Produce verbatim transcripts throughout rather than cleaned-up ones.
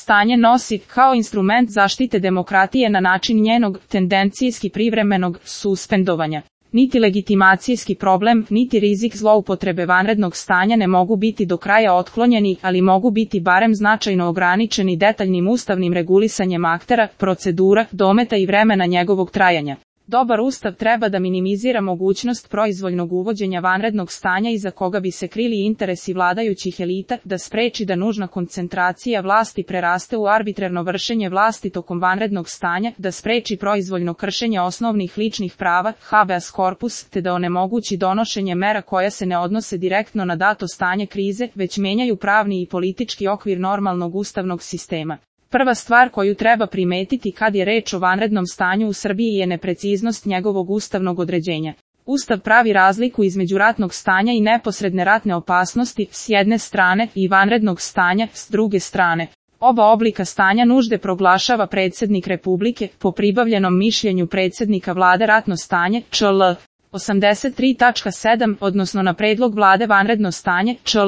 stanje nosi, kao instrument zaštite demokratije na način njenog, tendencijski privremenog, suspendovanja. Niti legitimacijski problem, niti rizik zloupotrebe vanrednog stanja ne mogu biti do kraja otklonjeni, ali mogu biti barem značajno ograničeni detaljnim ustavnim regulisanjem aktera, procedura, dometa i vremena njegovog trajanja. Dobar ustav treba da minimizira mogućnost proizvoljnog uvođenja vanrednog stanja iza koga bi se krili interesi vladajućih elita, da spreči da nužna koncentracija vlasti preraste u arbitrarno vršenje vlasti tokom vanrednog stanja, da spreči proizvoljno kršenje osnovnih ličnih prava, habeas corpus, te da onemogući donošenje mera koja se ne odnose direktno na dato stanje krize, već menjaju pravni i politički okvir normalnog ustavnog sistema. Prva stvar koju treba primetiti kad je reč o vanrednom stanju u Srbiji je nepreciznost njegovog ustavnog određenja. Ustav pravi razliku između ratnog stanja i neposredne ratne opasnosti, s jedne strane, i vanrednog stanja, s druge strane. Oba oblika stanja nužde proglašava predsjednik Republike, po pribavljenom mišljenju predsjednika vlade ratno stanje, čl. osamdeset tri tačka sedam, odnosno na predlog vlade vanredno stanje, čl.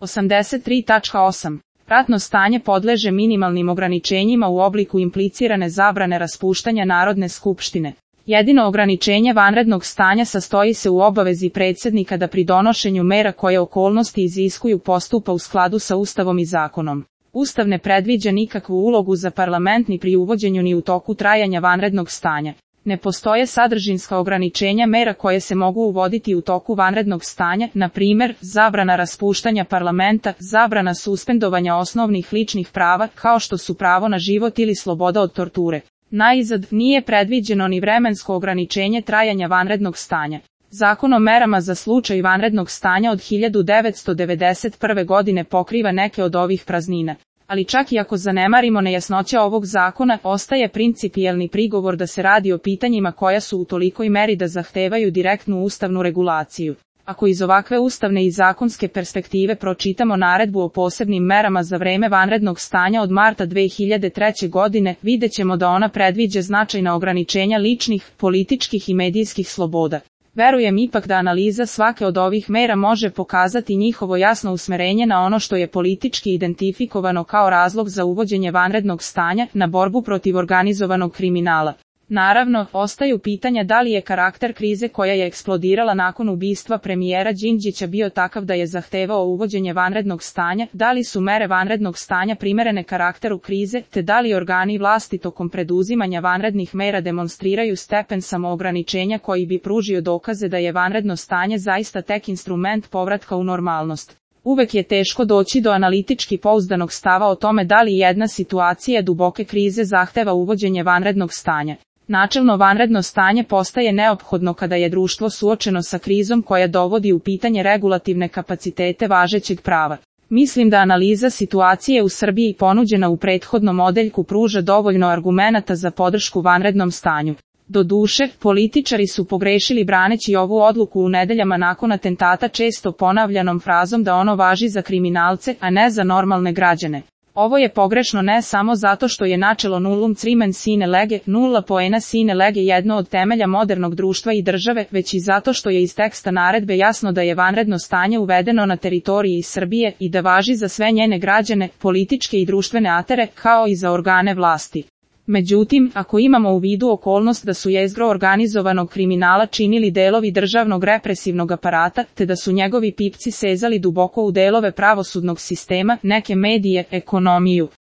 osamdeset tri tačka osam. Ratno stanje podleže minimalnim ograničenjima u obliku implicirane zabrane raspuštanja Narodne skupštine. Jedino ograničenje vanrednog stanja sastoji se u obavezi predsjednika da pri donošenju mera koje okolnosti iziskuju postupa u skladu sa Ustavom i zakonom. Ustav ne predviđa nikakvu ulogu za parlament ni pri uvođenju ni u toku trajanja vanrednog stanja. Ne postoje sadržinska ograničenja mera koje se mogu uvoditi u toku vanrednog stanja, na primjer, zabrana raspuštanja parlamenta, zabrana suspendovanja osnovnih ličnih prava, kao što su pravo na život ili sloboda od torture. Naizad, nije predviđeno ni vremensko ograničenje trajanja vanrednog stanja. Zakon o merama za slučaj vanrednog stanja od hiljadu devetsto devedeset prve. godine pokriva neke od ovih praznina. Ali čak i ako zanemarimo nejasnoće ovog zakona, ostaje principijelni prigovor da se radi o pitanjima koja su u tolikoj meri da zahtevaju direktnu ustavnu regulaciju. Ako iz ovakve ustavne i zakonske perspektive pročitamo naredbu o posebnim merama za vreme vanrednog stanja od marta dve hiljade treće. godine, vidjet ćemo da ona predviđa značajna ograničenja ličnih, političkih i medijskih sloboda. Verujem ipak da analiza svake od ovih mera može pokazati njihovo jasno usmerenje na ono što je politički identifikovano kao razlog za uvođenje vanrednog stanja, na borbu protiv organizovanog kriminala. Naravno, ostaju pitanja da li je karakter krize koja je eksplodirala nakon ubistva premijera Đinđića bio takav da je zahtevao uvođenje vanrednog stanja, da li su mere vanrednog stanja primerene karakteru krize, te da li organi vlasti tokom preduzimanja vanrednih mera demonstriraju stepen samoograničenja koji bi pružio dokaze da je vanredno stanje zaista tek instrument povratka u normalnost. Uvek je teško doći do analitički pouzdanog stava o tome da li jedna situacija duboke krize zahteva uvođenje vanrednog stanja. Načelno vanredno stanje postaje neophodno kada je društvo suočeno sa krizom koja dovodi u pitanje regulativne kapacitete važećeg prava. Mislim da analiza situacije u Srbiji ponuđena u prethodnom odeljku pruža dovoljno argumenata za podršku vanrednom stanju. Doduše, političari su pogrešili braneći ovu odluku u nedeljama nakon atentata često ponavljanom frazom da ono važi za kriminalce, a ne za normalne građane. Ovo je pogrešno ne samo zato što je načelo nullum crimen sine lege, nulla poena sine lege jedno od temelja modernog društva i države, već i zato što je iz teksta naredbe jasno da je vanredno stanje uvedeno na teritoriji Srbije i da važi za sve njene građane, političke i društvene aktere, kao i za organe vlasti. Međutim, ako imamo u vidu okolnost da su jezgro organizovanog kriminala činili delovi državnog represivnog aparata, te da su njegovi pipci sezali duboko u delove pravosudnog sistema, neke medije, ekonomiju,